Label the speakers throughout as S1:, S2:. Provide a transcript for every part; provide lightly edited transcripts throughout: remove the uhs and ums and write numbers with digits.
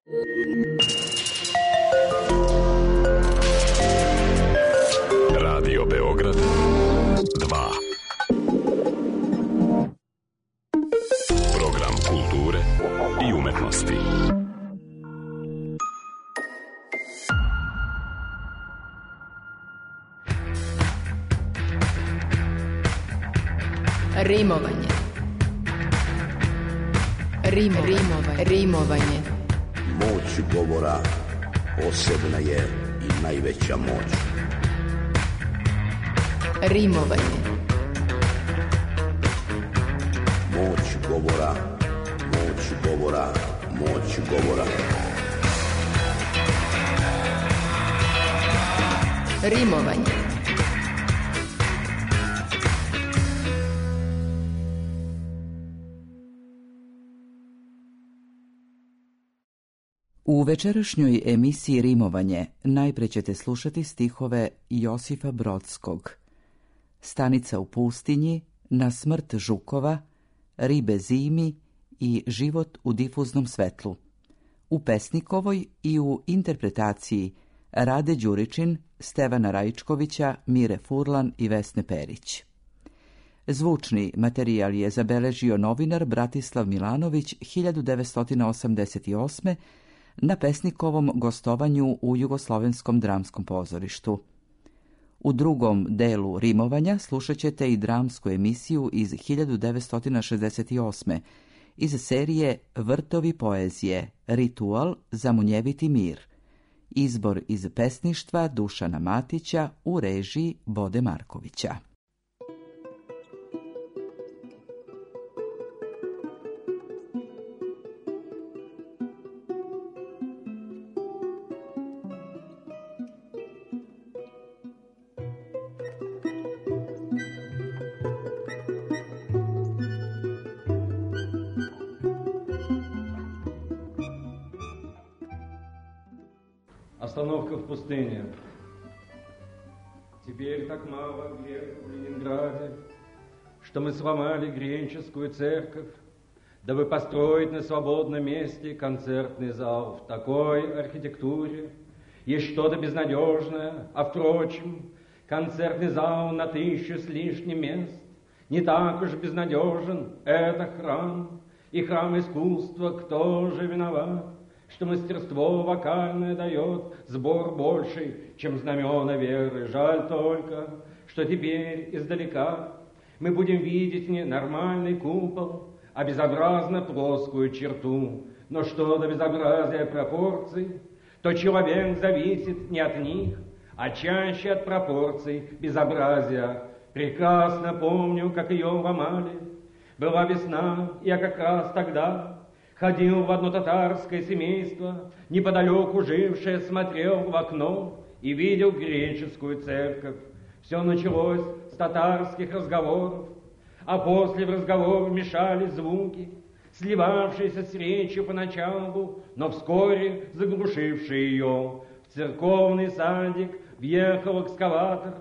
S1: Radio Beograd 2. Program kulture i umetnosti.
S2: Rimovanje. Rimovanje.
S3: Moć govora posebna je i najveća moć.
S2: Rimovanje.
S3: Moć govora, moć govora, moć govora.
S2: Rimovanje.
S4: U večerašnjoj emisiji Rimovanje najpre ćete slušati stihove Josifa Brodskog. Stanica u pustinji, Na smrt žukova, Ribe zimi i Život u difuznom svetlu. U pesnikovoj i u interpretaciji Rade Đuričin, Stevana Raičkovića, Mire Furlan i Vesne Perić. Zvučni materijal je zabeležio novinar Bratislav Milanović 1988. na pesnikovom gostovanju u Jugoslovenskom dramskom pozorištu. U drugom delu rimovanja slušat ćete i dramsku emisiju iz 1968. iz serije Vrtovi poezije, Ritual za munjeviti mir. Izbor iz pesništva Dušana Matića u režiji Bode Markovića.
S5: Остановка в пустыне. Теперь так мало греха в Ленинграде, что мы сломали греческую церковь, дабы построить на свободном месте концертный зал в такой архитектуре. Есть что-то безнадежное, а впрочем, концертный зал на 1000 с лишним мест не так уж безнадежен. Это храм, и храм искусства, кто же виноват, что мастерство вокальное дает сбор больший, чем знамена веры. Жаль только, что теперь издалека мы будем видеть не нормальный купол, а безобразно плоскую черту. Но что до безобразия пропорций, то человек зависит не от них, а чаще от пропорций безобразия. Прекрасно помню, как ее ломали. Была весна, я как раз тогда ходил в одно татарское семейство, неподалеку жившее, смотрел в окно и видел греческую церковь. Все началось с татарских разговоров, а после в разговор вмешались звуки, сливавшиеся с речью поначалу, но вскоре заглушившие ее. В церковный садик въехал экскаватор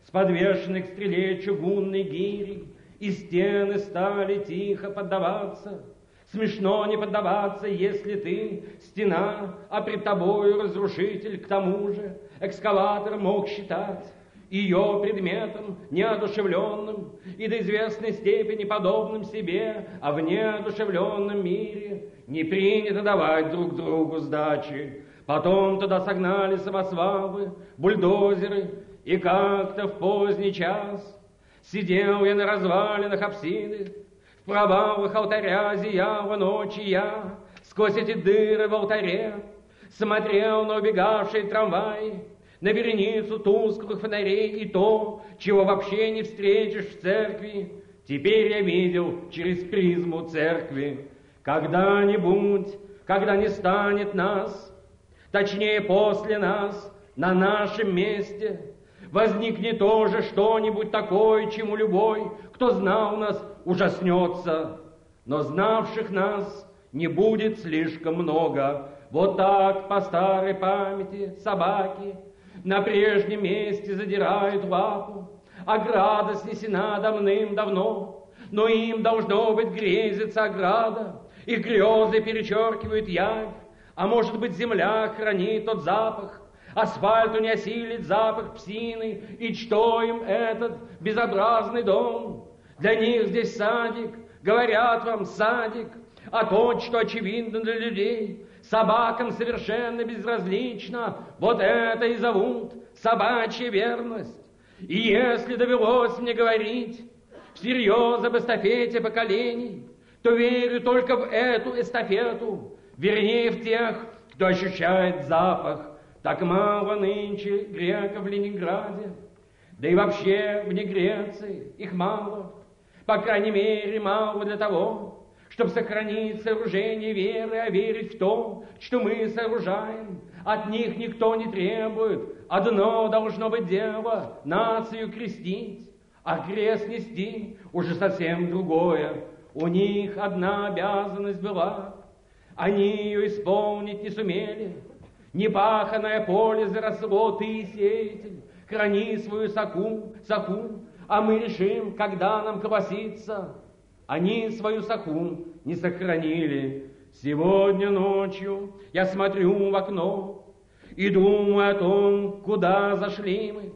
S5: с подвешенной к стреле чугунной гирей, и стены стали тихо поддаваться. Смешно не поддаваться, если ты стена, а пред тобою разрушитель. К тому же экскаватор мог считать ее предметом неодушевленным и до известной степени подобным себе, а в неодушевленном мире не принято давать друг другу сдачи. Потом туда согнали самосвалы, бульдозеры, и как-то в поздний час сидел я на развалинах апсиды. В провалах алтаря зияла ночь, и я сквозь эти дыры в алтаре смотрел на убегавшие трамваи, на вереницу тусклых фонарей и то, чего вообще не встретишь в церкви. Теперь я видел через призму церкви. Когда-нибудь, когда не станет нас, точнее после нас, на нашем месте, возникнет тоже что-нибудь такое, чему любой, кто знал нас, ужаснется. Но знавших нас не будет слишком много. Вот так по старой памяти собаки на прежнем месте задирают лапу. Ограда снесена давным-давно, но им должно быть грезится ограда. Их грезы перечеркивают явь, А может быть, земля хранит тот запах, асфальту не осилит запах псины, и что им этот безобразный дом? Для них здесь садик, говорят вам, садик, а то, что очевидно для людей, собакам совершенно безразлично, вот это и зовут собачья верность. И если довелось мне говорить всерьез об эстафете поколений, то верю только в эту эстафету, вернее в тех, кто ощущает запах. Так мало нынче греков в Ленинграде, да и вообще вне Греции их мало, по крайней мере мало для того, чтобы сохранить сооружение веры, а верить в то, что мы сооружаем. От них никто не требует, одно должно быть дело — нацию крестить, а крест нести уже совсем другое. У них одна обязанность была, они ее исполнить не сумели. Непаханное поле заросло, ты, сеятель, храни свою саху, а мы решим, когда нам колоситься. Они свою саху не сохранили. Сегодня ночью я смотрю в окно и думаю о том, куда зашли мы,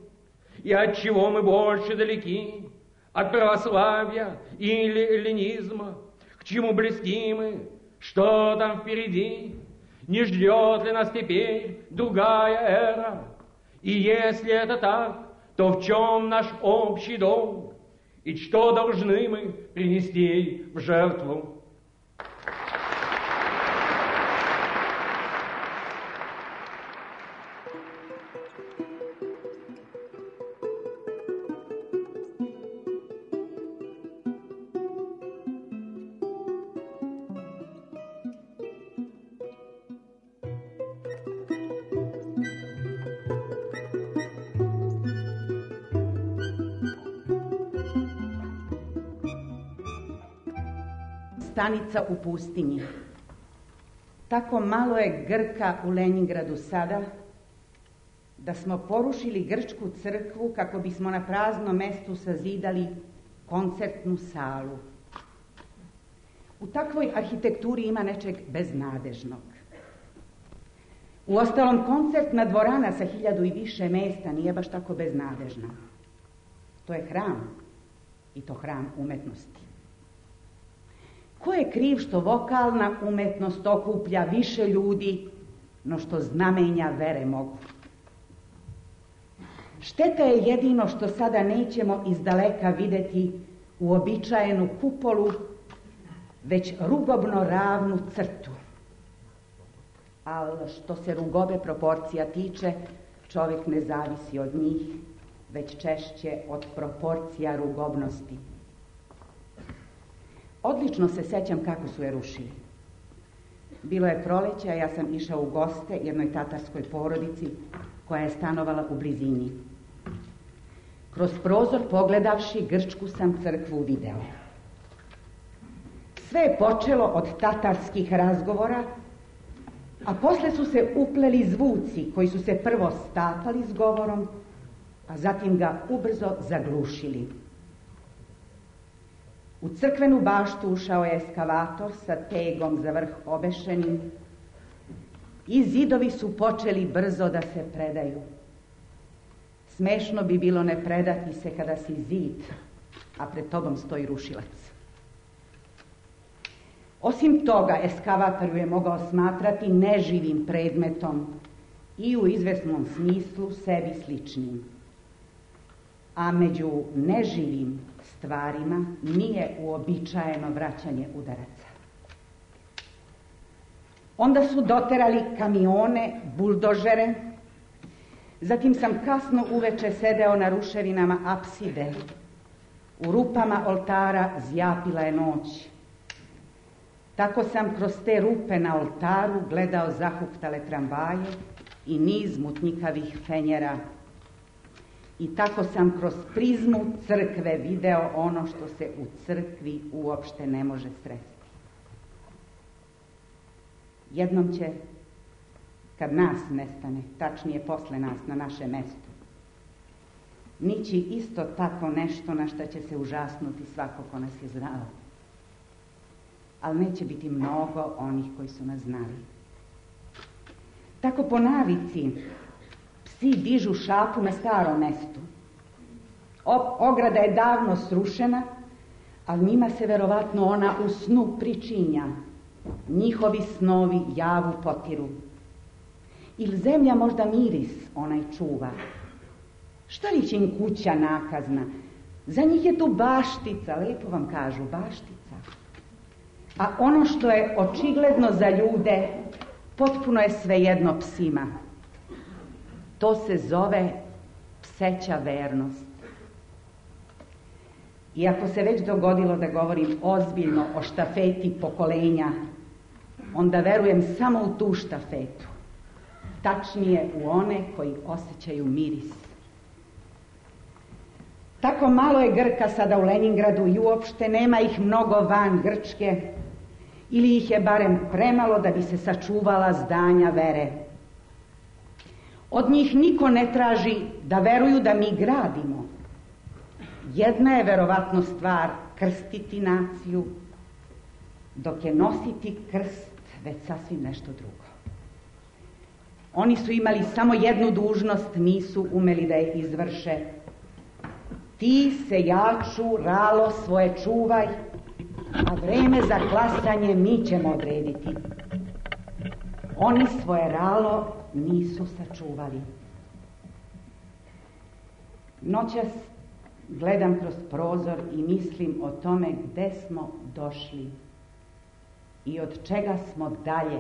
S5: и от чего мы больше далеки, от православия или эллинизма, к чему близки мы, что там впереди, не ждет ли нас теперь другая эра, и если это так, то в чем наш общий долг, и что должны мы принести в жертву?
S6: Stanica u pustinji. Tako malo je Grka u Leningradu sada, da smo porušili grčku crkvu kako bismo na praznom mestu sazidali koncertnu salu. U takvoj arhitekturi ima nečeg beznadežnog. Uostalom, koncertna dvorana sa 1000 i više mesta nije baš tako beznadežna. To je hram, i to hram umetnosti. Ko je kriv što vokalna umetnost okuplja više ljudi no što znamenja vere mogu? Šteta je jedino što sada nećemo izdaleka videti uobičajenu kupolu, već rugobno ravnu crtu. Ali što se rugobe proporcija tiče, čovjek ne zavisi od njih, već češće od proporcija rugobnosti. Odlično se sećam kako su je rušili. Bilo je proleće, a ja sam išao u goste jednoj tatarskoj porodici koja je stanovala u blizini. Kroz prozor pogledavši grčku sam crkvu video. Sve je počelo od tatarskih razgovora, a posle su se upleli zvuci koji su se prvo stapali s govorom, a zatim ga ubrzo zaglušili. U crkvenu baštu ušao je eskavator sa tegom za vrh obešenim i zidovi su počeli brzo da se predaju. Smešno bi bilo ne predati se kada si zid, a pred tobom stoji rušilac. Osim toga, eskavator je mogao smatrati neživim predmetom i u izvesnom smislu sebi sličnim. A među neživim stvarima nije uobičajeno vraćanje udaraca. Onda su doterali kamione, buldožere, zatim sam kasno uveče sedeo na ruševinama apside. U rupama oltara zjapila je noć. Tako sam kroz te rupe na oltaru gledao zahuktale tramvaje i niz mutnjikavih fenjera. I tako sam kroz prizmu crkve video ono što se u crkvi uopšte ne može sresti. Jednom će, kad nas nestane, tačnije posle nas, na naše mesto, nići isto tako nešto na što će se užasnuti svako ko nas je znao. Ali neće biti mnogo onih koji su nas znali. Tako po navici psi dižu šapu na starom mestu. Ograda je davno srušena, ali njima se verovatno ona u snu pričinja. Njihovi snovi javu potiru. Ili zemlja možda miris onaj čuva. Šta li će im kuća nakazna? Za njih je tu baštica, lepo vam kažu, baštica. A ono što je očigledno za ljude, potpuno je svejedno psima. To se zove pseća vernost. I ako se već dogodilo da govorim ozbiljno o štafeti pokolenja, onda verujem samo u tu štafetu. Tačnije u one koji osjećaju miris. Tako malo je Grka sada u Leningradu i uopšte nema ih mnogo van Grčke, ili ih je barem premalo da bi se sačuvala zdanja vere. Od njih niko ne traži da veruju da mi gradimo. Jedna je verovatno stvar krstiti naciju, dok je nositi krst već sasvim nešto drugo. Oni su imali samo jednu dužnost, nisu umeli da je izvrše. Ti, sejaču, ralo svoje čuvaj, a vreme za klasanje mi ćemo odrediti. Oni svoje ralo nisu sačuvali. Noćas gledam kroz prozor i mislim o tome gde smo došli i od čega smo dalje,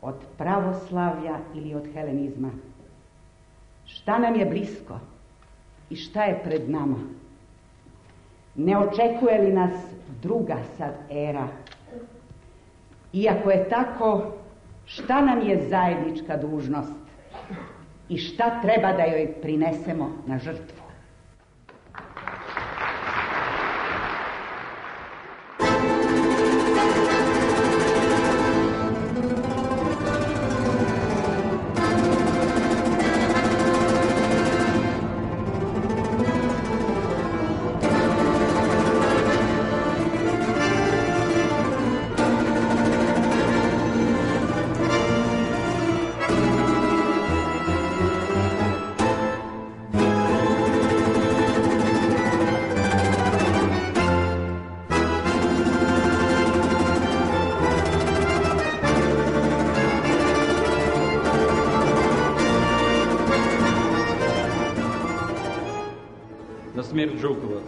S6: od pravoslavlja ili od helenizma. Šta nam je blisko i šta je pred nama? Ne očekuje li nas druga sad era? Iako je tako, šta nam je zajednička dužnost i šta treba da joj prinesemo na žrtvu?
S5: Смерть Жукова.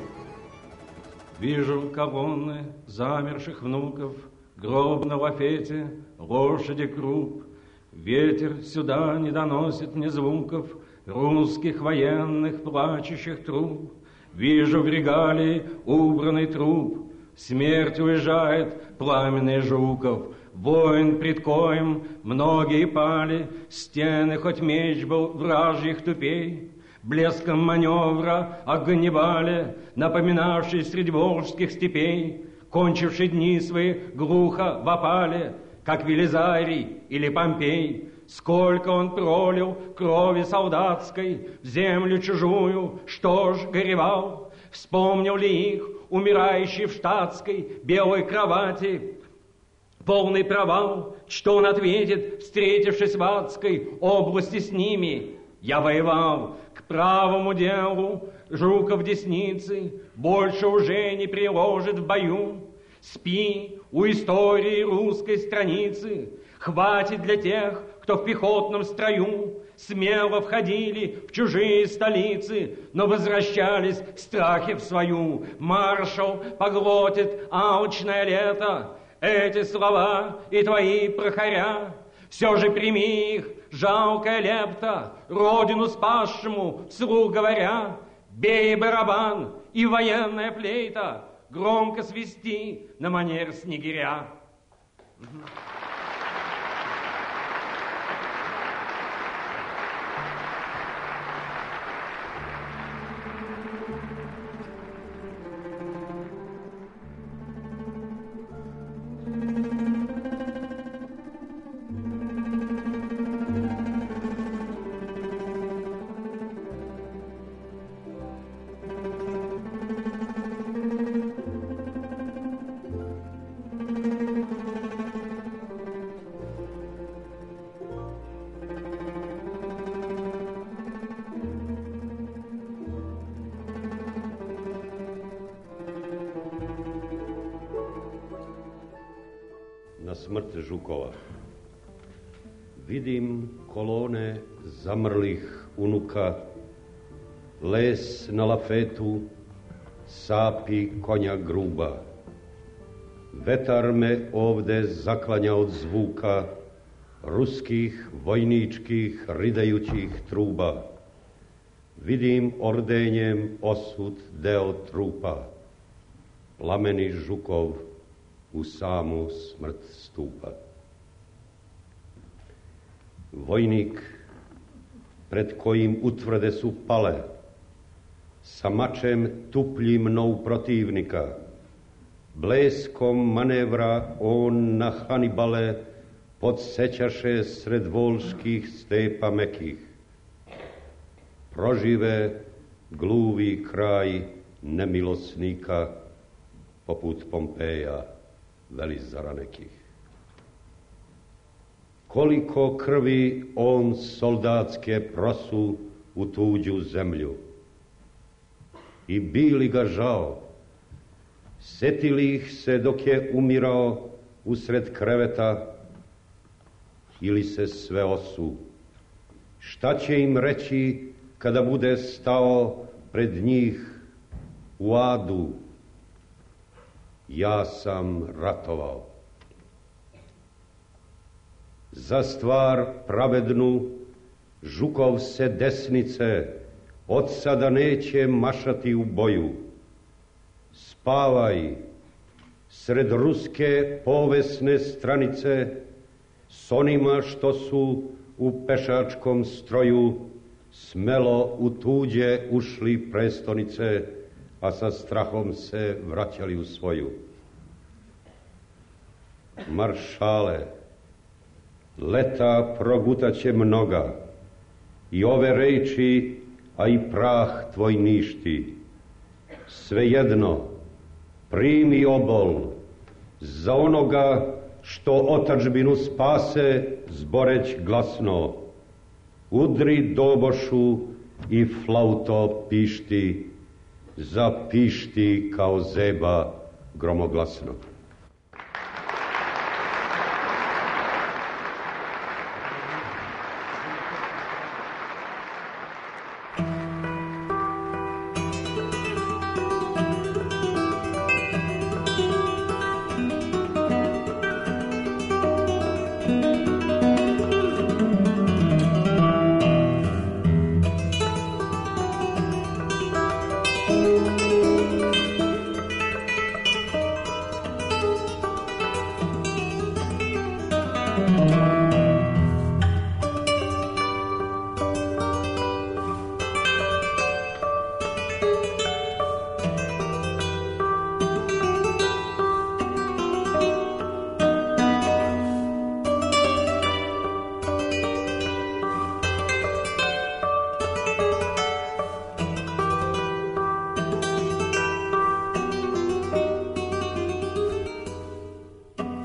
S5: Вижу колонны замерших внуков, гроб на лафете, лошади круп. Ветер сюда не доносит ни звуков русских военных плачущих труб. Вижу в регалии убранный труп, смерть уезжает, пламенный Жуков. Воин, пред коем многие пали, стены хоть меч был вражьих тупей. Блеском маневра о Ганнибале, напоминавший средь волжских степей, кончивший дни свои глухо в опале, как Велизарий или Помпей. Сколько он пролил крови солдатской в землю чужую, что ж горевал? Вспомнил ли их, умирающий в штатской белой кровати, полный провал? Что он ответит, встретившись в адской области с ними? Я воевал, к правому делу Жуков десницы больше уже не приложит в бою. Спи у истории русской страницы, хватит для тех, кто в пехотном строю смело входили в чужие столицы, но возвращались в страхе в свою. Маршал поглотит алчное лето, эти слова и твои прохоря. Все же прими их, жалкая лепта, родину спасшему, вслух говоря. Бей барабан и военная флейта, громко свисти на манер снегиря.
S7: smrt žukova. Vidim kolone zamrlih unuka, les na lafetu, sapi konja gruba. Vetar me ovde zaklanja od zvuka ruskih vojničkih ridajućih truba. Vidim ordenjem osud deo trupa. Plameni žukov u samu smrt stupa. Vojnik pred kojim utvrde su pale, sa mačem tupljim nov protivnika. Bleskom manevra on na Hanibale podsećaše sred volških stepa mekih. Prožive gluvi kraj nemilosnika, poput Pompeja, velizara nekih. Koliko krvi on soldatske prosu u tuđu zemlju. I bili ga žao, setili ih se dok je umirao usred kreveta, ili se sve osu. Šta će im reći kada bude stao pred njih u adu? Ja sam ratovao. Za stvar pravednu Žukov se desnice od sada neće mašati u boju. Spavaj sred ruske povesne stranice s onima što su u pešačkom stroju smelo u tuđe ušli prestonice, a sa strahom se vraćali u svoju. Maršale, leta progutaće mnoga, i ove reči, a i prah tvoj ništi. Svejedno, primi obol za onoga što otadžbinu spase, zboreć glasno. Udri dobošu i flauto pišti, zapišti kao zeba gromoglasno.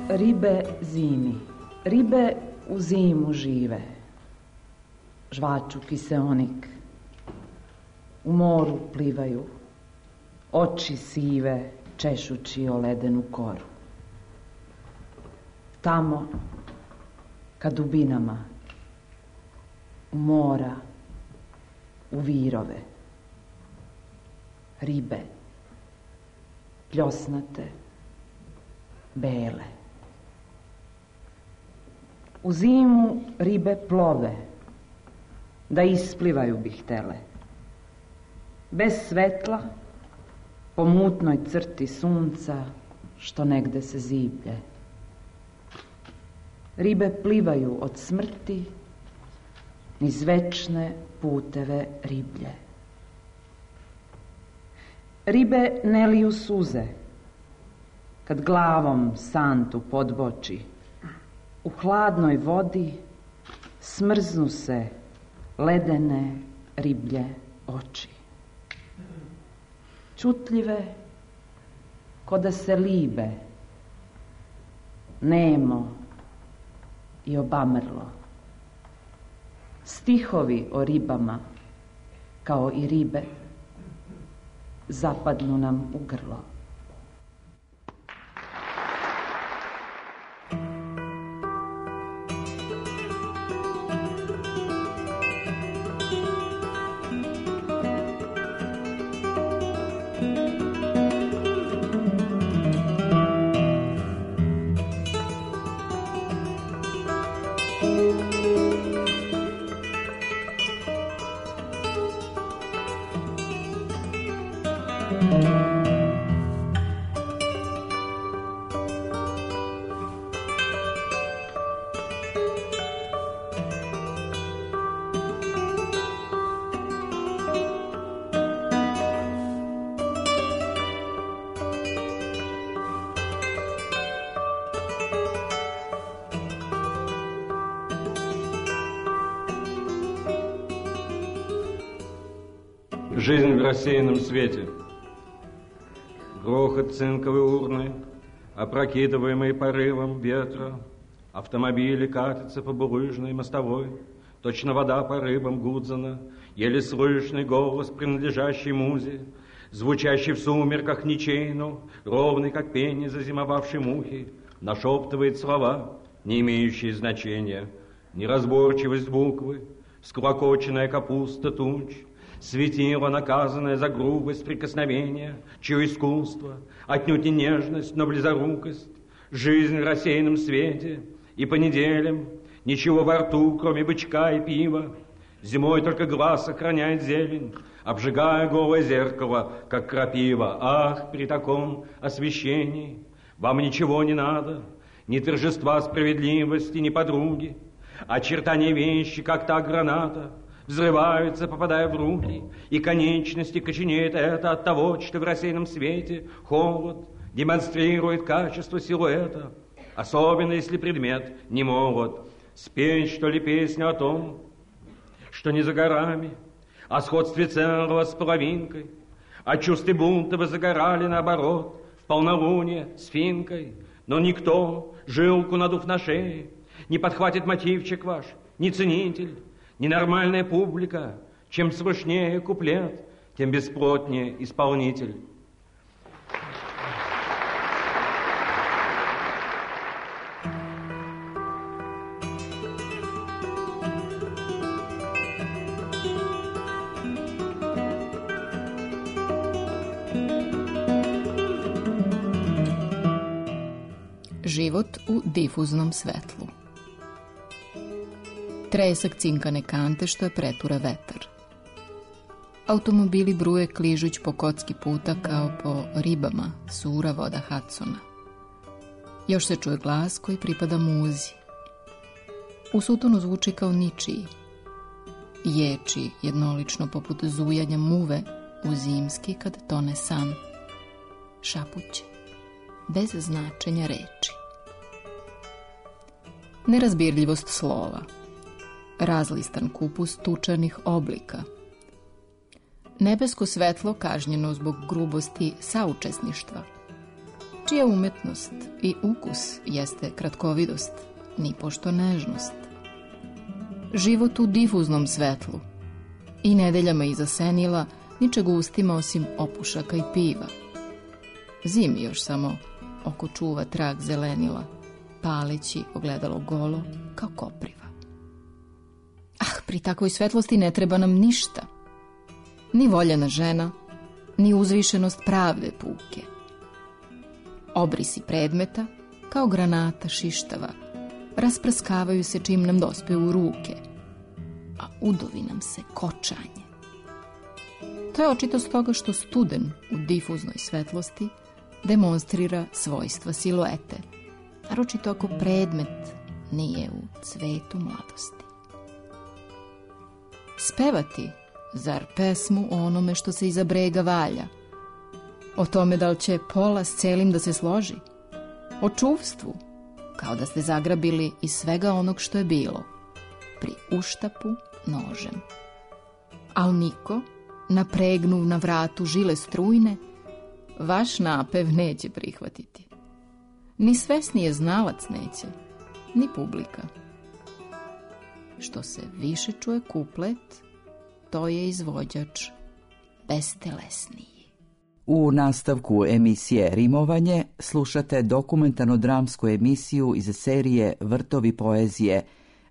S8: Ribe zimi, ribe u zimu žive, žvaču kiseonik, u moru plivaju, oči sive češući o ledenu koru. Tamo, ka dubinama, u mora, u virove, ribe, pljosnate, bele. U zimu ribe plove, da isplivaju bi htele. Bez svetla, po mutnoj crti sunca, što negde se ziblje. Ribe plivaju od smrti niz večne puteve riblje. Ribe ne liju suze, kad glavom santu podboči. U hladnoj vodi smrznu se ledene riblje oči. Čutljive, ko da se libe, nemo i obamrlo. Stihovi o ribama, kao i ribe, zapadnu nam u grlo.
S5: Жизнь в рассеянном свете. Грохот цинковой урны, опрокидываемый порывом ветра. Автомобили катятся по булыжной мостовой. Точно вода по рыбам Гудзона. Еле слышный голос, принадлежащий музе, звучащий в сумерках ничейну, ровный, как пение зазимовавшей мухи, нашептывает слова, не имеющие значения. Неразборчивость буквы, склокоченная капуста туч, светило, наказанное за грубость прикосновения, чье искусство, отнюдь не нежность, но близорукость, жизнь в рассеянном свете, и по неделям ничего во рту, кроме бычка и пива. Зимой только глаз охраняет зелень, обжигая голое зеркало, как крапива. Ах, при таком освещении вам ничего не надо, ни торжества справедливости, ни подруги. Очертания вещи, как та граната, взрываются, попадая в руки, и конечности коченеет это от того, что в рассеянном свете холод демонстрирует качество силуэта, особенно если предмет не молод. Спеть, что ли, песню о том, что не за горами, о сходстве целого с половинкой, о чувстве бунта вы загорали, наоборот, в полнолуние с финкой, но никто, жилку надув на шее, не подхватит мотивчик ваш, ни ценитель, ненормальная публика. Чем слышнее куплет, тем бесплотнее исполнитель.
S2: Život u difuznom svetlu. Tresak cinkane kante što je pretura vetar. Automobili bruje kližuć po kocki puta kao po ribama sura voda Hudsona. Još se čuje glas koji pripada muzi. U sutonu zvuči kao ničiji. Ječi jednolično poput zujanja muve u zimski kad tone san. Šapuće, bez značenja reči. Nerazbirljivost slova. Razlistan kupus tučanih oblika. Nebesko svetlo kažnjeno zbog grubosti saučesništva, čija umetnost i ukus jeste kratkovidost, nipošto nežnost. Život u difuznom svetlu i nedeljama iza senila ničeg ustima osim opušaka i piva. Zimi još samo oko čuva trag zelenila, paleći ogledalo golo kao kopriva. Pri takvoj svetlosti ne treba nam ništa. Ni voljena žena, ni uzvišenost pravde puke. Obrisi predmeta, kao granata šištava, rasprskavaju se čim nam dospe u ruke, a udovi nam se kočanje. To je očito stoga što studen u difuznoj svetlosti demonstrira svojstva siluete, naročito ako predmet nije u cvetu mladosti. Spevati, zar pesmu o onome što se iza brega valja? O tome da li će pola s celim da se složi? O čuvstvu, kao da ste zagrabili iz svega onog što je bilo, pri uštapu nožem. Al niko, napregnuv na vratu žile strujne, vaš napev neće prihvatiti. Ni svesnije znalac neće, ni publika. Što se više čuje kuplet, to je izvođač bestelesniji.
S4: U nastavku emisije Rimovanje slušate dokumentarno-dramsku emisiju iz serije Vrtovi poezije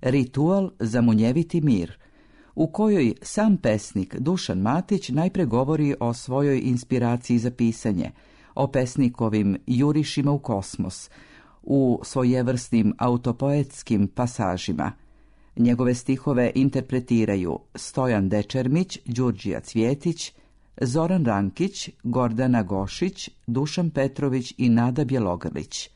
S4: Ritual za munjeviti mir, u kojoj sam pesnik Dušan Matić najpre govori o svojoj inspiraciji za pisanje, o pesnikovim jurišima u kosmos, u svojevrsnim autopoetskim pasažima. Njegove stihove interpretiraju Stojan Dečermić, Đurđija Cvjetić, Zoran Rankić, Gordana Gošić, Dušan Petrović i Nada Bjelogrlić.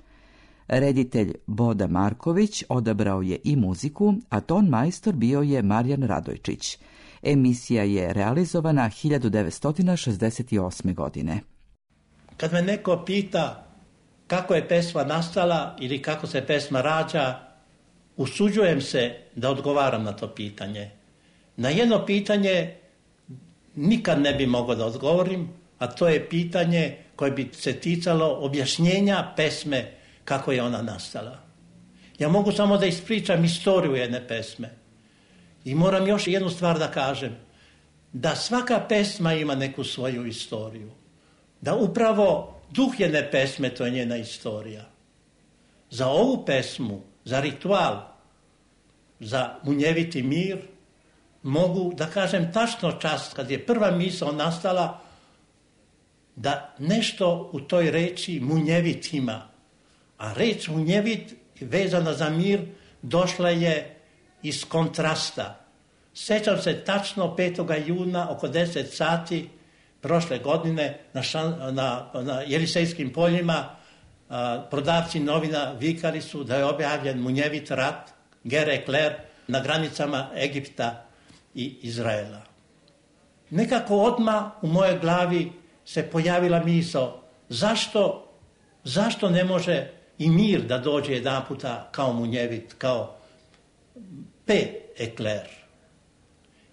S4: Reditelj Boda Marković odabrao je i muziku, a ton majstor bio je Marijan Radojčić. Emisija je realizovana 1968. godine.
S9: Kad me neko pita kako je pesma nastala ili kako se pesma rađa, usuđujem se da odgovaram na to pitanje. Na jedno pitanje nikad ne bi mogao da odgovorim, a to je pitanje koje bi se ticalo objašnjenja pesme kako je ona nastala. Ja mogu samo da ispričam istoriju jedne pesme. I moram još jednu stvar da kažem, da svaka pesma ima neku svoju istoriju. Da upravo duh jedne pesme, to je njena istorija. Za ovu pesmu, za ritual, za munjeviti mir, mogu da kažem tačno čas kad je prva misao nastala da nešto u toj reči munjevit ima. A reč munjevit vezana za mir došla je iz kontrasta. Sjećam se tačno 5. juna oko 10 sati prošle godine na Jelisejskim poljima prodavci novina vikali su da je objavljen munjevit rat, guerre éclair, na granicama Egipta i Izraela. Nekako odmah u mojoj glavi se pojavila misao zašto ne može i mir da dođe jedan puta kao munjevit, kao paix éclair.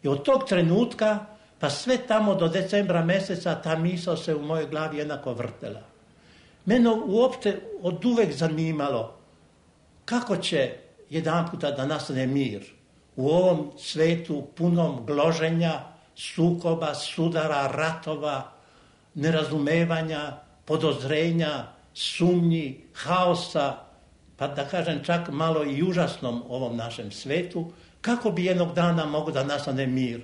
S9: I od tog trenutka pa sve tamo do decembra mjeseca ta misao se u mojoj glavi jednako vrtela. Mene uopšte od uvek zanimalo kako će jedan puta da nastane mir u ovom svetu punom gloženja, sukoba, sudara, ratova, nerazumevanja, podozrenja, sumnji, haosa, pa da kažem čak malo i užasnom ovom našem svetu, kako bi jednog dana mogao da nastane mir.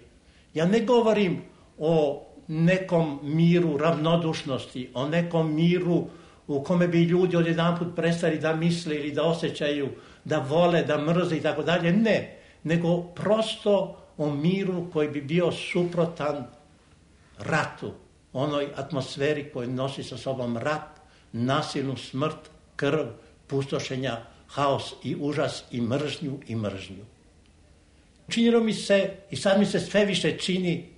S9: Ja ne govorim o nekom miru ravnodušnosti, o nekom miru u kome bi ljudi odjedanput prestali da misle ili da osjećaju, da vole, da mrze i tako dalje. Ne, nego prosto o miru koji bi bio suprotan ratu, onoj atmosferi koji nosi sa sobom rat, nasilnu smrt, krv, pustošenja, haos i užas i mržnju. Činilo mi se i sad mi se sve više čini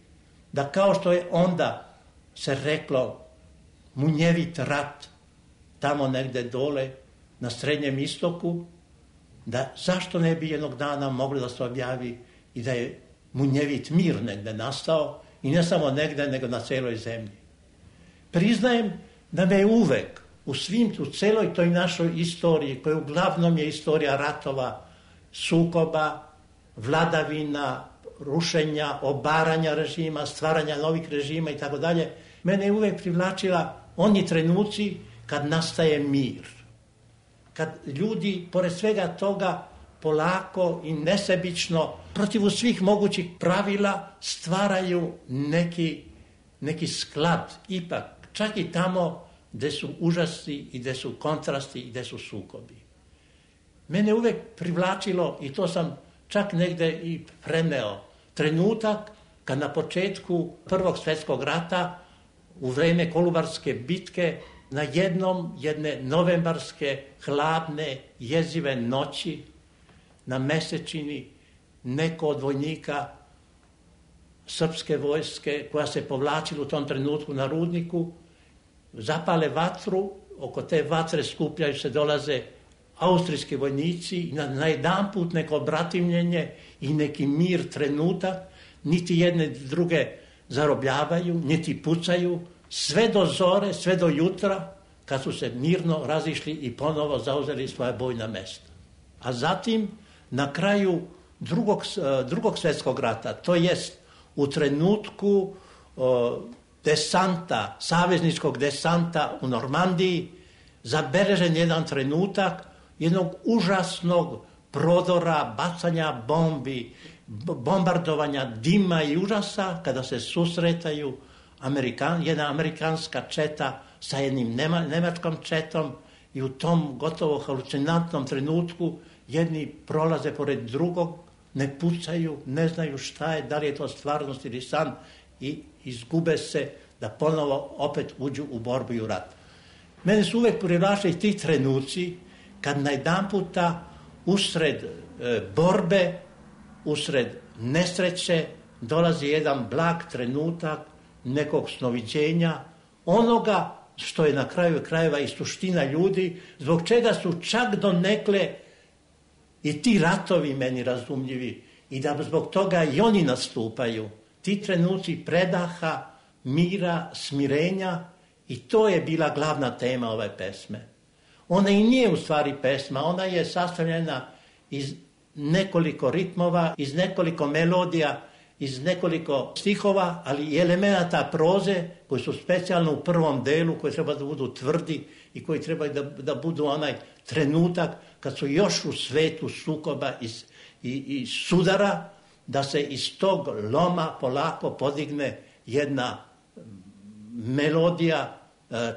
S9: da kao što je onda se reklo munjevit rat tamo negde dole na Srednjem istoku, da zašto ne bi jednog dana moglo da se objavi i da je munjevit mir negde nastao i ne samo negde nego na celoj zemlji. Priznajem da me je uvek u celoj toj našoj istoriji, koja uglavnom je istorija ratova, sukoba, vladavina, rušenja, obaranja režima, stvaranja novih režima i tako dalje, mene je uvek privlačila oni trenuci kad nastaje mir. Kad ljudi, pored svega toga, polako i nesebično, protiv svih mogućih pravila, stvaraju neki sklad, ipak, čak i tamo gde su užasi i gde su kontrasti i gde su sukobi. Mene uvek privlačilo, i to sam čak negde i preneo, trenutak kad na početku Prvog svjetskog rata, u vreme Kolubarske bitke, na jedne novembarske, hladne, jezive noći, na mesečini, neko od vojnika srpske vojske, koja se povlačila u tom trenutku na rudniku, zapale vatru, oko te vatre skupljaju se, dolaze austrijski vojnici i na jedanput neko bratimljenje i neki mir trenutak, niti jedne druge zarobljavaju, niti pucaju, sve do zore, sve do jutra, kad su se mirno razišli i ponovo zauzeli svoja bojna mesta. A zatim, na kraju drugog svjetskog rata, to jest u trenutku desanta, savezničkog desanta u Normandiji, zabeležen jedan trenutak jednog užasnog prodora, bacanja bombi, bombardovanja dima i užasa, kada se susretaju jedna amerikanska četa sa jednim nemačkom četom i u tom gotovo halucinantnom trenutku jedni prolaze pored drugog, ne pucaju, ne znaju šta je, da li je to stvarnost ili san i izgube se da ponovo opet uđu u borbu i u rat. Mene su uvek privlačili ti trenuci kad najedanputa usred borbe, usred nesreće dolazi jedan blag trenutak nekog snoviđenja, onoga što je na kraju krajeva i suština ljudi, zbog čega su čak donekle i ti ratovi meni razumljivi i da zbog toga i oni nastupaju. Ti trenuci predaha, mira, smirenja i to je bila glavna tema ove pesme. Ona i nije u stvari pesma, ona je sastavljena iz nekoliko ritmova, iz nekoliko melodija, iz nekoliko stihova, ali i elemenata proze koji su specijalno u prvom delu, koji treba da budu tvrdi i koji treba da budu onaj trenutak kad su još u svetu sukoba i sudara, da se iz tog loma polako podigne jedna melodija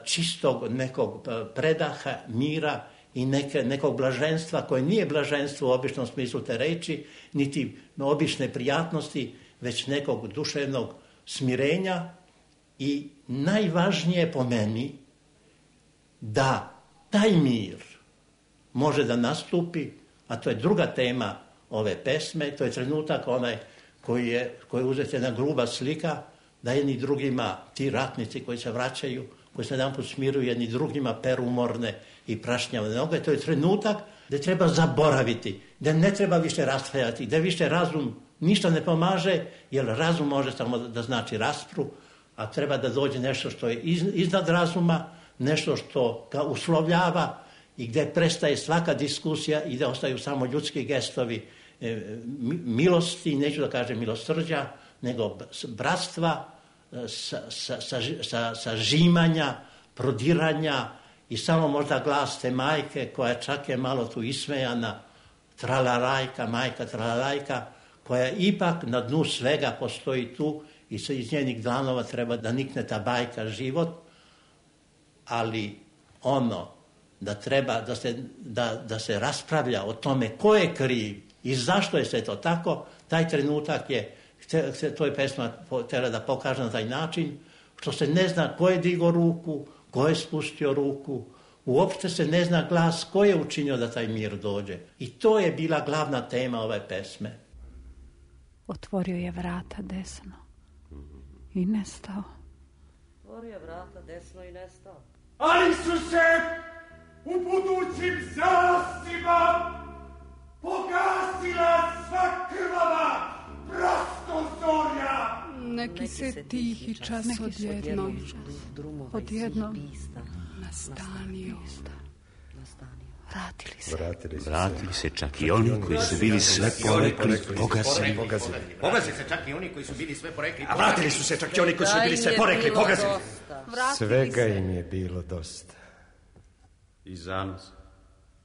S9: čistog nekog predaha, mira i nekog blaženstva koje nije blaženstvo u običnom smislu te reči, niti obične prijatnosti, već nekog duševnog smirenja i najvažnije po meni da taj mir može da nastupi, a to je druga tema ove pesme, to je trenutak onaj koji je uzet jedna gruba slika, da jedni drugima, ti ratnici koji se vraćaju, koji se jedanput smiruju, jedni drugima peru umorne i prašnjave noge, to je trenutak gde treba zaboraviti, gde ne treba više raspravljati, gde više razum ništa ne pomaže, jer razum može samo da znači raspru, a treba da dođe nešto što je iznad razuma, nešto što ga uslovljava i gde prestaje svaka diskusija i da ostaju samo ljudski gestovi milosti, neću da kažem milosrđa, nego bratstva, sažimanja, prodiranja i samo možda glas te majke koja čak je malo tu ismejana, tralarajka, majka tralarajka, koja ipak na dnu svega postoji tu i iz njenih dlanova treba da nikne ta bajka život, ali ono da treba da se raspravlja o tome ko je kriv i zašto je sve to tako, taj trenutak je, to je pesma treba da pokaže na taj način, što se ne zna ko je digao ruku, ko je spustio ruku, uopšte se ne zna glas ko je učinio da taj mir dođe. I to je bila glavna tema ove pesme.
S10: Otvorio je vrata desno i nestao.
S11: Otvorio je vrata desno i nestao.
S12: Ali su se u budućim zalascima pogasila sva krvava prostozorja.
S10: Neki se tihi čas odjednom nastanio.
S13: Vratili se čak i oni koji su bili sve porekli, pogazili.
S14: Pogazili se čak i oni koji su bili sve porekli.
S15: A vratili su se čak i oni koji su bili sve porekli, pogazili.
S16: Svega im je bilo dosta.
S17: I zanos,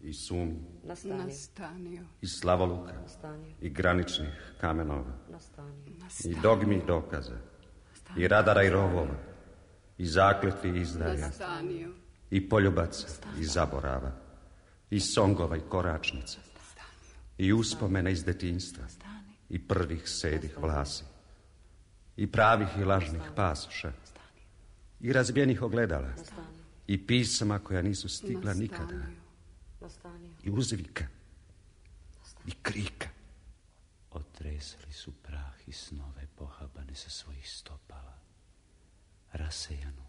S17: i sumnje,
S10: nastanio.
S17: I slavoluka, i graničnih kamenova, i dogmi i dokaza, i radara i rovova, i zakletvi i izdaja, i poljubaca i zaborava, i songova i koračnica, i uspomena iz detinjstva, i prvih sedih vlasi, i pravih i lažnih pasoša, i razbijenih ogledala, i pisama koja nisu stigla nikada, i uzvika, i krika.
S13: Otresali su prah i snove pohabane sa svojih stopala, rasejanu,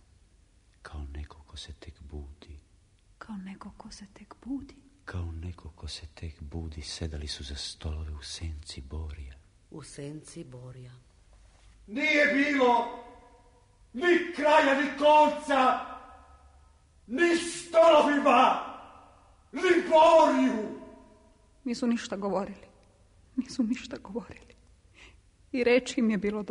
S13: kao neko ko se tek budi.
S10: Kao neko ko se tek budi.
S13: Kao neko ko se tek budi, sedali su za stolove u senci Borija.
S11: U senci Borija.
S12: Nije bilo ni kraja, ni konca, ni stolovima, ni Boriju.
S10: Nisu ništa govorili. I reči im je bilo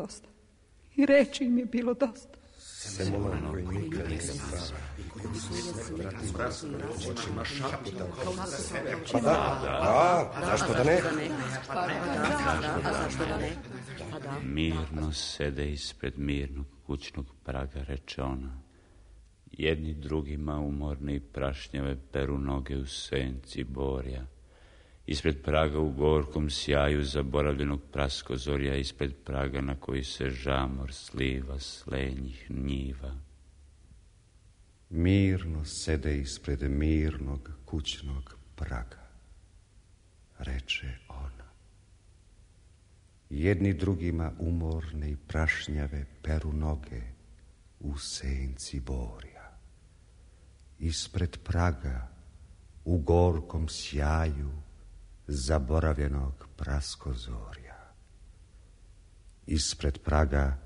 S10: dosta.
S16: Semolan koji nikad nisam prava. Očima šaputa. Pa da, zašto da ne?
S13: Mirno sede ispred mirnog kućnog praga, reče ona. Jedni drugima umorni i prašnjave peru noge u senci Borja Ispred praga u gorkom sjaju zaboravljenog praskozorja, ispred praga na koji se žamor sliva s lenjih njiva.
S17: Mirno sede ispred mirnog kućnog praga, reče ona. Jedni drugima umorne i prašnjave peru noge u senci borja. Ispred praga u gorkom sjaju zaboravljenog praskozorja. Ispred praga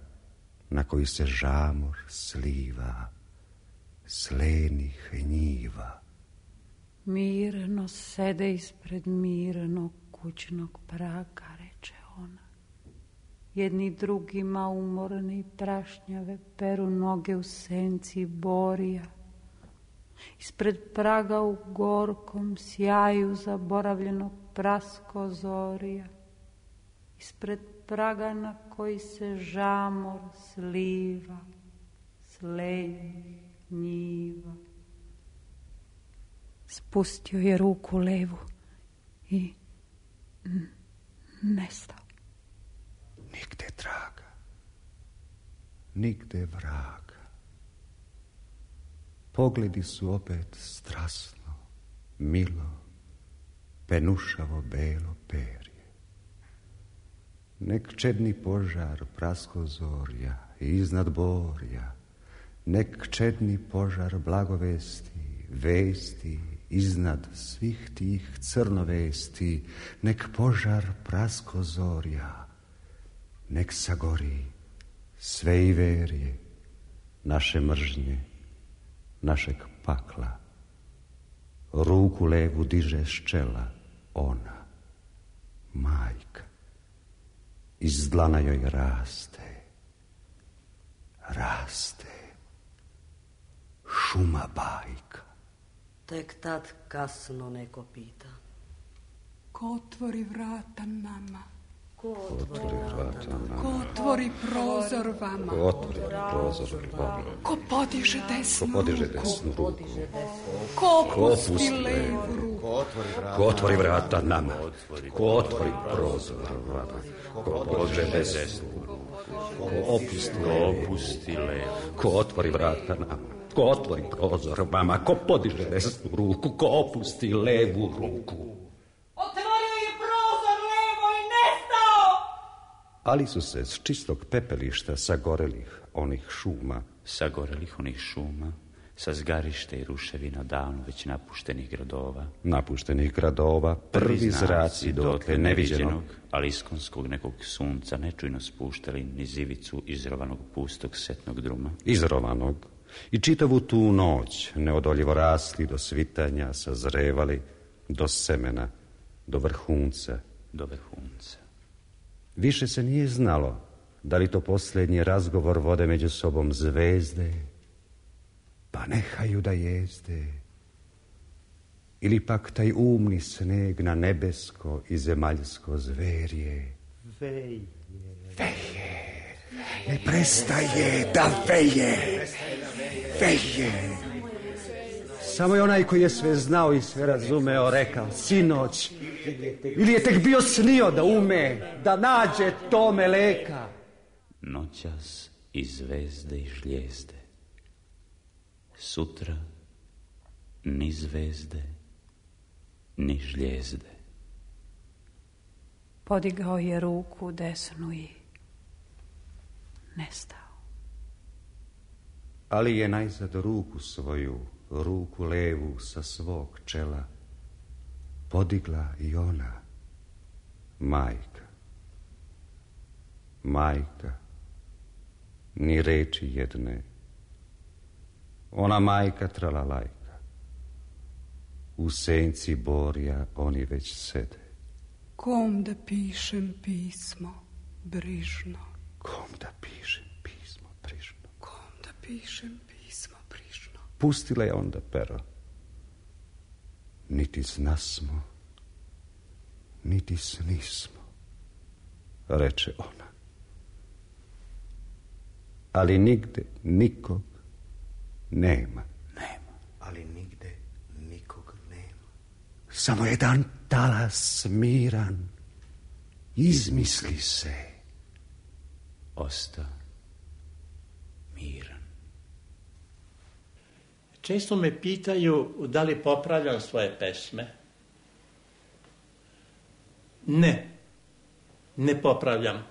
S17: na koji se žamor sliva s lenih njiva.
S18: Mirno sede ispred mirnog kućnog praga, reče ona. Jedni drugima umorni i prašnjave peru noge u senci borja. Ispred praga u gorkom sjaju zaboravljenog praskozorja. Ispred praga na koji se žamor sliva s lenjih njiva. Spustio je ruku levu i nestao.
S17: Nigde traga, nigde vraga. Pogledi su opet strasno, milo, penušavo belo perje. Nek čedni požar praskozorja iznad borja, nek čedni požar blagovesti, vesti iznad svih tih crnovesti, nek požar praskozorja, nek sagori sve i verje naše mržnje, našeg pakla. Ruku levu diže s čela ona, majka. Iz dlana joj raste, šuma bajka.
S11: Tek tad kasno neko pita.
S10: Ko otvori vrata nama?
S11: Ko otvori vrata nama?
S10: Ko otvori prozor vama?
S17: Ko otvori prozor vama?
S10: Ko podiže desnu ruku?
S17: Ko
S10: opusti levu ruku?
S17: Ko otvori vrata nama? Ko otvori prozor vama? Ko podiže desnu ruku? Ko opusti levu? Ko otvori vrata nama? Ko otvori prozor vama? Ko podiže desnu ruku? Ko opusti levu ruku?
S19: Otvorio je prozor levo i nestao!
S17: Ali su se s čistog pepelišta sagorelih onih šuma,
S13: sa zgarište i ruševina davno već
S17: napuštenih gradova, prvi zraci dotle neviđenog,
S13: ali iskonskog nekog sunca nečujno spuštali niz ivicu izrovanog pustog setnog druma.
S17: Izrovanog. I čitavu tu noć neodoljivo rasli do svitanja, sazrevali do semena, do vrhunca. Više se nije znalo da li to posljednji razgovor vode među sobom zvezde, pa nehaju da jezde, ili pak taj umni sneg na nebesko i zemaljsko zverje. Veje. Ne prestaje da veje. Samo je onaj koji je sve znao i sve razumeo rekao sinoć, ili je tek bio snio da ume, da nađe tome leka.
S13: Noćas i zvezde i žljezde, sutra ni zvezde ni žljezde.
S18: Podigao je ruku desnu i nestao.
S17: Ali je najzad ruku svoju, ruku levu sa svog čela, podigla i ona, majka, ni reči jedne. Ona majka tralalajka, u senci borja oni već sede.
S10: Kom da pišem pismo brižno?
S17: Kom da pišem pismo brižno?
S10: Pišem pismo brižno.
S17: Pustila je onda pero. Niti znasmo, niti snismo, reče ona. Ali nigde nikog nema.
S15: Ali nigde nikog nema.
S16: Samo jedan talas miran izmisli se.
S13: Osta miran.
S9: Često me pitaju da li popravljam svoje pesme. Ne popravljam.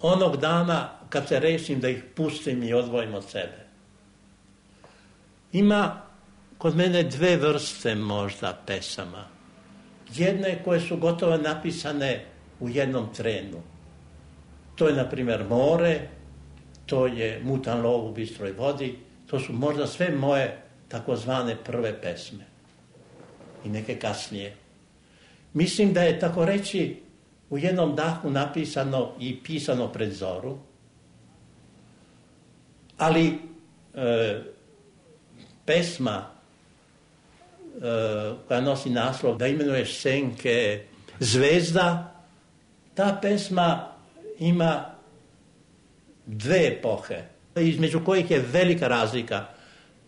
S9: Onog dana kad se rešim da ih pustim i odvojim od sebe. Ima kod mene dve vrste možda pesama. Jedne koje su gotovo napisane u jednom trenu. To je, na primjer, More, to je Mutan lov u bistroj vodi, to su možda sve moje takozvane prve pesme. I neke kasnije. Mislim da je, tako reći, u jednom dahu napisano i pisano pred zoru, ali pesma koja nosi naslov Da imenuješ senke zvezda, ta pesma ima dve epohe, između kojih je velika razlika.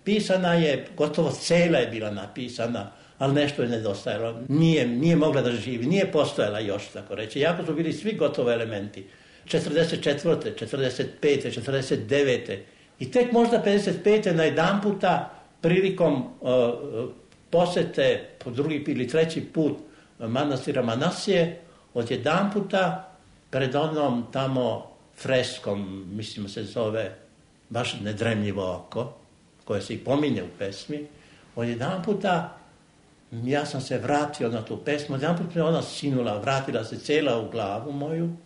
S9: Pisana je, gotovo cela je bila napisana, ali nešto je nedostajalo. Nije mogla da živi, nije postojala još, tako reći. Jako su bili svi gotovo elementi. 44. 45. 49. I tek možda 55. na jedan puta prilikom posete po drugi ili treći put manastira Manasije, od jedan puta pred onom tamo freskom, mislim se zove baš Nedremljivo oko, koje se i pominje u pesmi, od jedan puta ja sam se vratio na tu pesmu, od jedan puta me ona sinula, vratila se cela u glavu moju,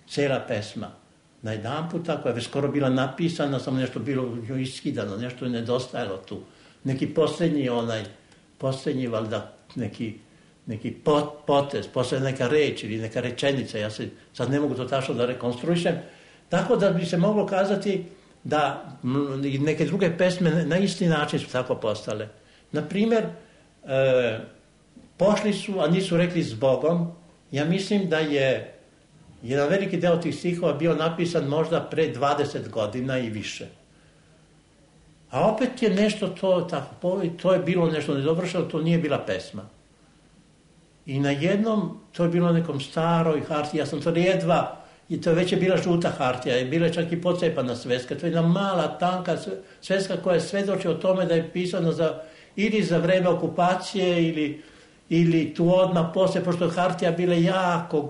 S9: cela pesma. Na jedan puta, koja je već skoro bila napisana, samo nešto bilo iskidano, nešto je nedostajalo tu. Neki posljednji valjda, neki potez, posljednja neka reč ili neka rečenica, ja se sad ne mogu to tačno da rekonstruišem, tako da bi se moglo kazati da neke druge pesme na isti način su tako postale. Naprimjer, pošli su, a nisu rekli zbogom, ja mislim da je jedan veliki deo tih stihova bio napisan možda pre 20 godina i više. A opet je nešto to je bilo nešto nedovršeno, to nije bila pesma. I na jednom, to je bilo nekom staroj hartiji, ja sam to jedva, i to već je bila žuta hartija, je bila čak i pocepana sveska, to je jedna mala, tanka sveska koja svedoči o tome da je pisano ili za vreme okupacije ili tu odmah poslije, pošto je hartija bila jako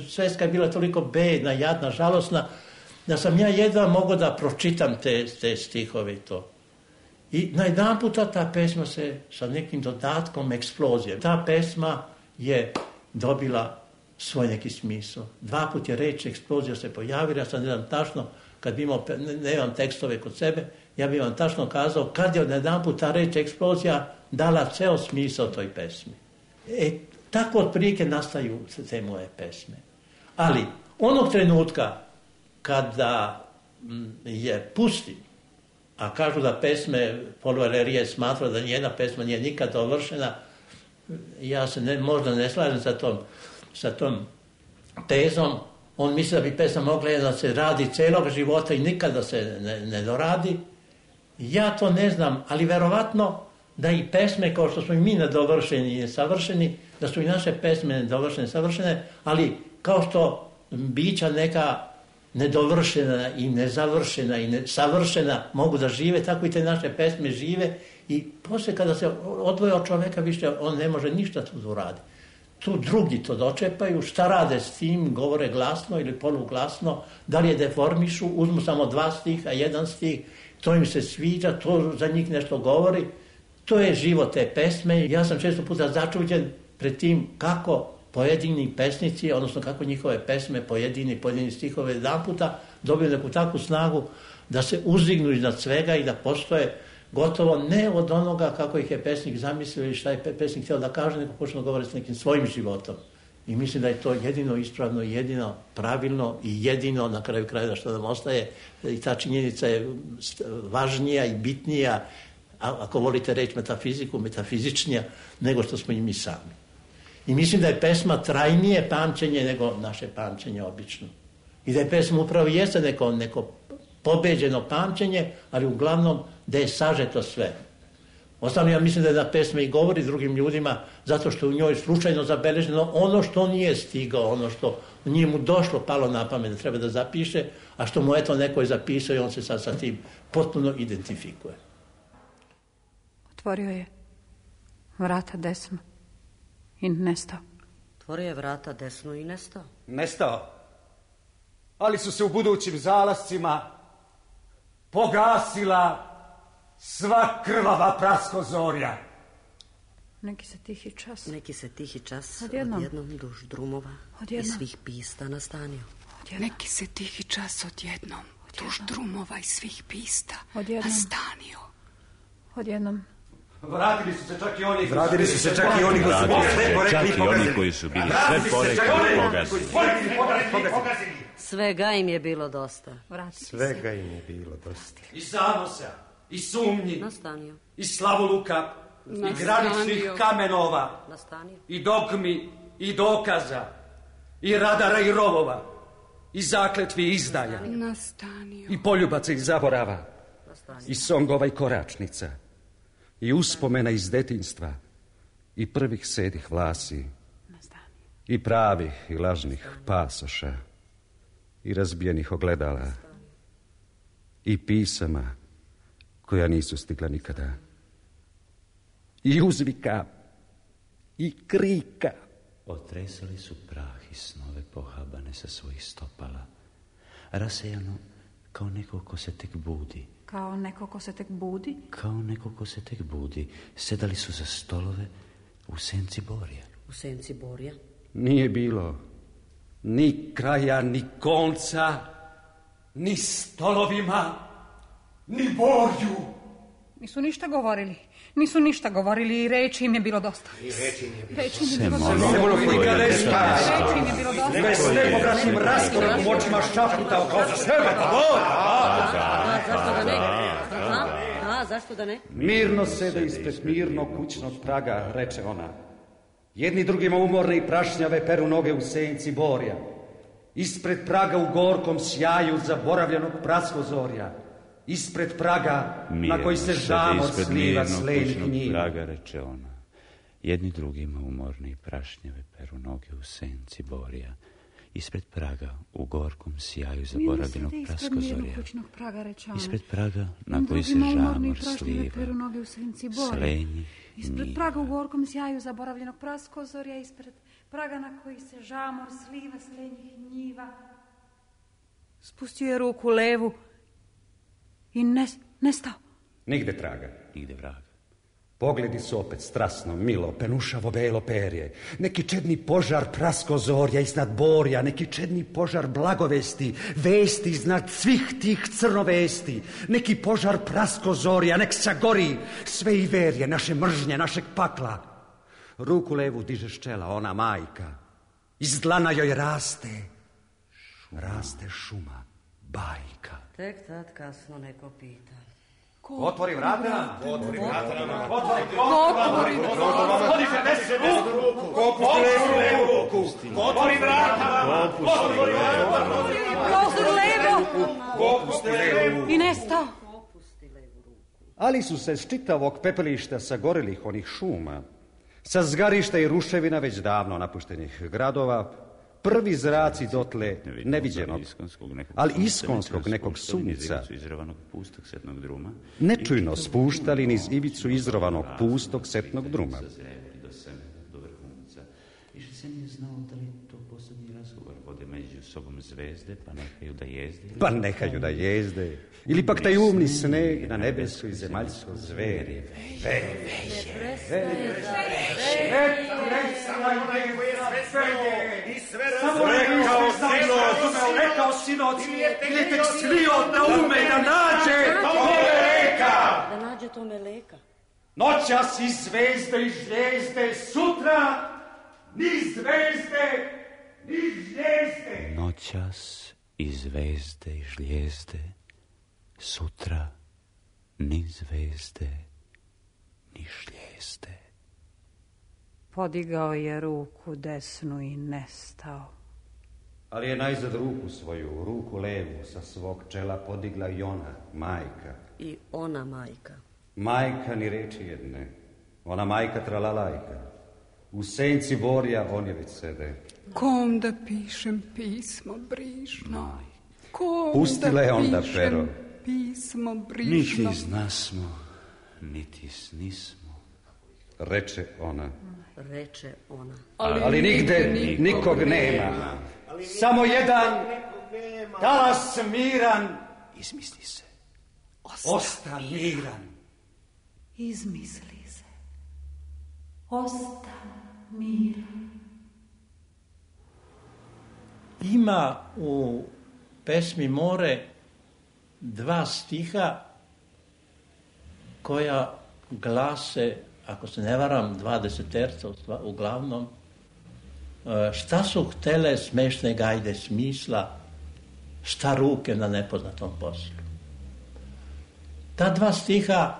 S9: sveska je bila toliko bedna, jadna, žalosna, da sam ja jedva mogao da pročitam te stihove i to. I najedan puta ta pesma se sa nekim dodatkom eksplozije. Ta pesma je dobila svoj neki smisao. Dva put je reč eksplozija se pojavila, ja sam ne znam tačno, kad bi imao, nemam tekstove kod sebe, ja bih vam tačno kazao kad je najedan put ta reč eksplozija dala ceo smisao toj pesmi. Tako otprilike nastaju te moje pesme. Ali onog trenutka kada je pustim, a kažu da pesme Paul Valéry smatra da nijedna pesma nije nikad dovršena, ja se možda ne slažem sa tom tezom. On misli da bi pesma mogla da se radi celog života i nikada se ne doradi. Ja to ne znam, ali verovatno da i pesme kao što smo i mi nedovršeni i nesavršeni, da su i naše pesme nedovršene i savršene, ali kao što bića neka nedovršena i nezavršena i savršena mogu da žive, tako i te naše pesme žive i poslije kada se odvoje od čoveka više on ne može ništa tu uradi. Tu drugi to dočepaju, šta rade s tim, govore glasno ili poluglasno, da li je deformišu, uzmu samo 2 stiha, 1 stih, to im se sviđa, to za njih nešto govori. To je život te pesme. Ja sam često puta začuđen pred tim kako pojedini pesnici, odnosno kako njihove pesme, pojedini stihove jedan puta dobiju neku takvu snagu da se uzdignu iznad svega i da postoje gotovo ne od onoga kako ih je pesnik zamislio ili šta je pesnik htio da kaže, nego počne da govori s nekim svojim životom. I mislim da je to jedino ispravno, jedino pravilno i jedino na kraju krajeva što nam ostaje. I ta činjenica je važnija i bitnija, ako volite reći metafiziku, metafizičnija, nego što smo i mi sami. I mislim da je pesma trajnije pamćenje nego naše pamćenje obično. I da je pesma upravo jeste neko pobeđeno pamćenje, ali uglavnom da je sažeto sve. Ostalo ja mislim da je da pesme i govori drugim ljudima zato što u njoj slučajno zabeleženo ono što nije stigao, ono što nije mu došlo, palo na pamet da treba da zapiše, a što mu eto neko je zapisao i on se sad sa tim potpuno identifikuje.
S18: Otvorio je vrata desno i nestao.
S11: Otvorio je vrata desno i nestao.
S12: Nestao. Ali su se u budućim zalascima pogasila sva krvava praskozorja.
S18: Neki se tihi čas.
S11: Neki se tihi čas
S18: odjednom
S11: duž drumova i svih pista nastanio.
S10: Neki se tihi čas odjednom duž drumova i svih pista nastanio.
S18: Odjednom.
S12: Vratili su se čak i oni
S13: koji su bili sve porekli i pogazili.
S11: Svega im je bilo dosta.
S16: Svega im je bilo dosta.
S12: I zanosa, i sumnji,
S11: nastanio.
S12: I slavoluka, i graničnih kamenova,
S11: nastanio.
S12: I dogmi, i dokaza, i radara i rovova, i zakletvi i izdaja,
S10: nastanio.
S12: I poljubaca i zaborava, nastanio. I songova i koračnica, i uspomena iz detinjstva, i prvih sedih vlasi, nastanio. I pravih i lažnih pasoša, i razbijenih ogledala, nastanio. I pisama koja nisu stigla nikada, i uzvika, i krika.
S13: Otresali su prah i snove pohabane sa svojih stopala, rasejano kao neko ko se tek budi.
S18: Kao neko ko se tek budi?
S13: Kao neko ko se tek budi. Sedali su za stolove u senci borja.
S11: U senci borja?
S12: Nije bilo ni kraja, ni konca, ni stolovima, ni borju.
S18: Nisu ništa govorili i reči im je bilo dosta.
S12: Reči im je bilo dosta. Bez nepobranim raskorom u očima šaputao kao za sebe.
S11: Zašto da ne?
S12: Mirno sede ispred mirnog kućnog praga, reče ona. Jedni drugima umorne i prašnjave peru noge u senci borja. Ispred praga u gorkom sjaju zaboravljenog praskozorja. Ispred praga na koji se žamor sliva s lenjih njiva.
S13: Praga, reče ona. Jedni drugima umorni i prašnjave peru noge u senci borja. Ispred praga u gorkom sjaju zaboravljenog praskozorja. Ispred praga na koji se žamor sliva s lenjih njiva.
S18: Ispred praga u gorkom sjaju zaboravljenog praskozorja. Ispred praga na koji se žamor sliva s lenjih njiva. Spustio je ruku levu i nestao.
S12: Nigde traga.
S13: Nigde vraga.
S12: Pogledi su opet strasno, milo, penušavo belo perje. Neki čedni požar praskozorja iznad borja, neki čedni požar blagovesti, vesti iznad svih tih crnovesti. Neki požar praskozorja, nek sagori sve i verje, naše mržnje, našeg pakla. Ruku levu diže ščela, ona majka. Iz dlana joj raste šuma, bajka.
S11: Tek tad kasno neko pita.
S12: Otvori vrata nam. Otvori
S18: vrata. I nestao.
S12: Ali su se s čitavog pepelišta sagorelih onih šuma, sa zgarišta i ruševina već davno napuštenih gradova, prvi zraci dotle neviđenog, ali iskonskog nekog sunca nečujno spuštali niz ivicu izrovanog pustog setnog druma.
S13: Više se nije znao da li to poslednji razgovor vode među sobom zvezde, pa nehaju da jezde.
S12: Ili pak taj umni sneg na nebesko i zemaljsko zveri. Samo rekao sinoć, ili tek slio da ume da nađe
S11: tome leka.
S12: Noćas i zvezde i žljezde, sutra ni zvezde, ni žljezde.
S13: Noćas i zvezde i žljezde, sutra ni zvezde, ni žljezde.
S18: Podigao je ruku desnu i nestao.
S12: Ali je najzad ruku svoju, ruku levu sa svog čela podigla i ona, majka.
S11: I ona majka.
S17: Majka ni reči jedne, ona majka tralalajka. U senci borja oni već sede.
S10: Kom da pišem pismo brižno? Kom
S17: Pustila je onda pero.
S10: Pismo brižno?
S13: Niti znasmo, niti snismo.
S17: Reče ona.
S11: Reče ona.
S17: Ali nigde nikog nema. Samo jedan talas miran.
S13: Izmisli se.
S17: Osta miran.
S18: Izmisli se. Osta miran.
S9: Ima u pesmi More 2 stiha koja glase, ako se ne varam, 20 uglavnom, šta su htele smešne gajde smisla, šta ruke na nepoznatom poslu. Ta 2 stiha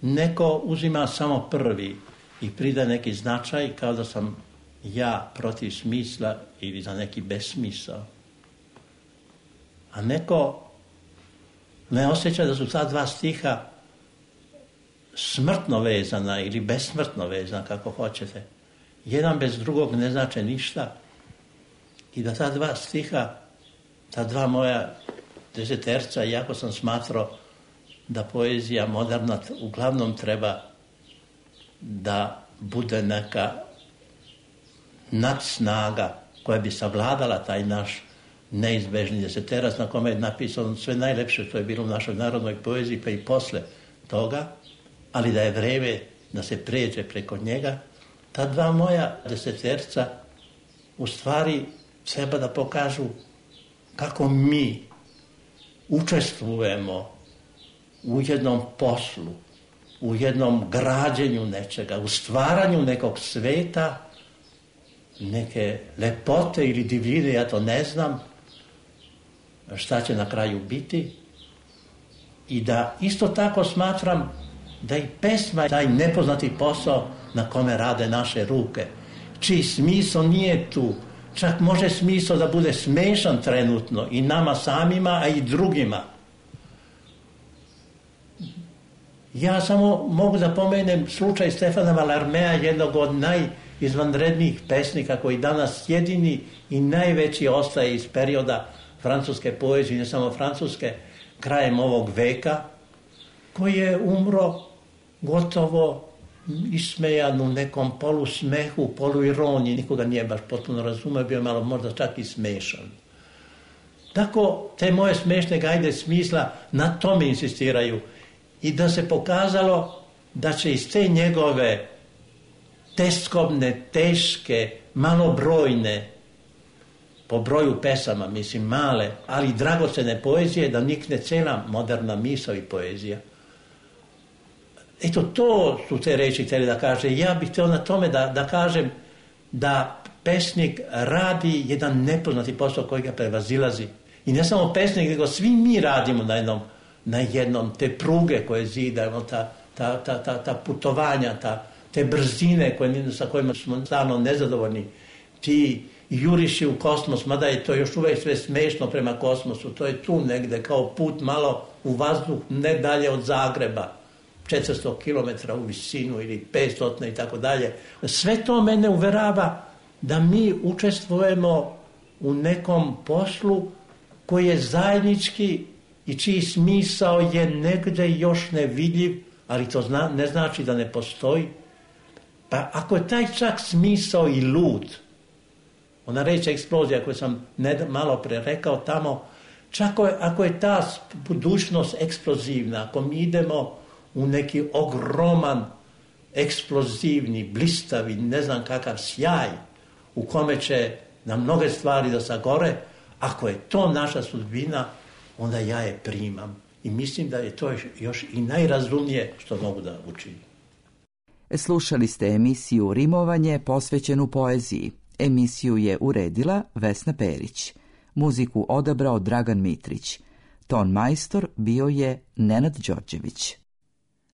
S9: neko uzima samo prvi i prida neki značaj kao da sam ja protiv smisla ili za neki besmisao. A neko ne osjeća da su ta 2 stiha smrtno vezana ili besmrtno vezana, kako hoćete. Jedan bez drugog ne znače ništa. I da ta 2 stiha, ta 2 moja deseterca, iako sam smatrao da poezija moderna uglavnom treba da bude neka nadsnaga koja bi savladala taj naš neizbežni deseterac na kome je napisano sve najlepše što je bilo u našoj narodnoj poeziji pa i posle toga, ali da je vreme da se pređe preko njega. Ta 2 moja deseterca u stvari treba da pokažu kako mi učestvujemo u jednom poslu, u jednom građenju nečega, u stvaranju nekog sveta, neke lepote ili divljine, ja to ne znam šta će na kraju biti. I da isto tako smatram da i pesma je taj nepoznati posao na kome rade naše ruke, čiji smisao nije tu. Čak može smisao da bude smešan trenutno i nama samima, a i drugima. Ja samo mogu da pomenem slučaj Stefana Mallarmea, jednog od najizvanrednijih pesnika koji danas jedini i najveći ostaje iz perioda francuske poezije, ne samo francuske, krajem ovog veka, koji je umro gotovo ismejan u nekom polusmehu, poluironiji, nikoga nije baš potpuno razumeo, bio malo možda čak i smešan. Tako te moje smešne gajde smisla na tome insistiraju i da se pokazalo da će iz te njegove teskobne, teške, malobrojne, po broju pesama, mislim male, ali dragocene poezije, da nikne cela moderna misao i poezija. Eto, to su te reči htjeli da kaže. Ja bih htio na tome da kažem da pesnik radi jedan nepoznati posao koji ga prevazilazi. I ne samo pesnik, nego svi mi radimo na jednom te pruge koje zidamo, ta putovanja, te brzine sa kojima smo stalno nezadovoljni, ti juriši u kosmos, mada je to još uvijek sve smešno prema kosmosu, to je tu negde kao put malo u vazduh, ne dalje od Zagreba, 400 km u visinu ili 500 i tako dalje. Sve to mene uverava da mi učestvujemo u nekom poslu koji je zajednički i čiji smisao je negde još nevidljiv, ali to ne znači da ne postoji. Pa ako je taj čak smisao i lud, ona reč eksplozija koju sam malo pre rekao tamo, čak ako je ta budućnost eksplozivna, ako mi idemo u neki ogroman, eksplozivni, blistavi, ne znam kakav sjaj, u kome će nam mnoge stvari da sagore, ako je to naša sudbina, onda ja je primam. I mislim da je to još i najrazumnije što mogu da učinim.
S4: Slušali ste emisiju Rimovanje posvećenu poeziji. Emisiju je uredila Vesna Perić. Muziku odabrao Dragan Mitrić. Ton majstor bio je Nenad Đorđević.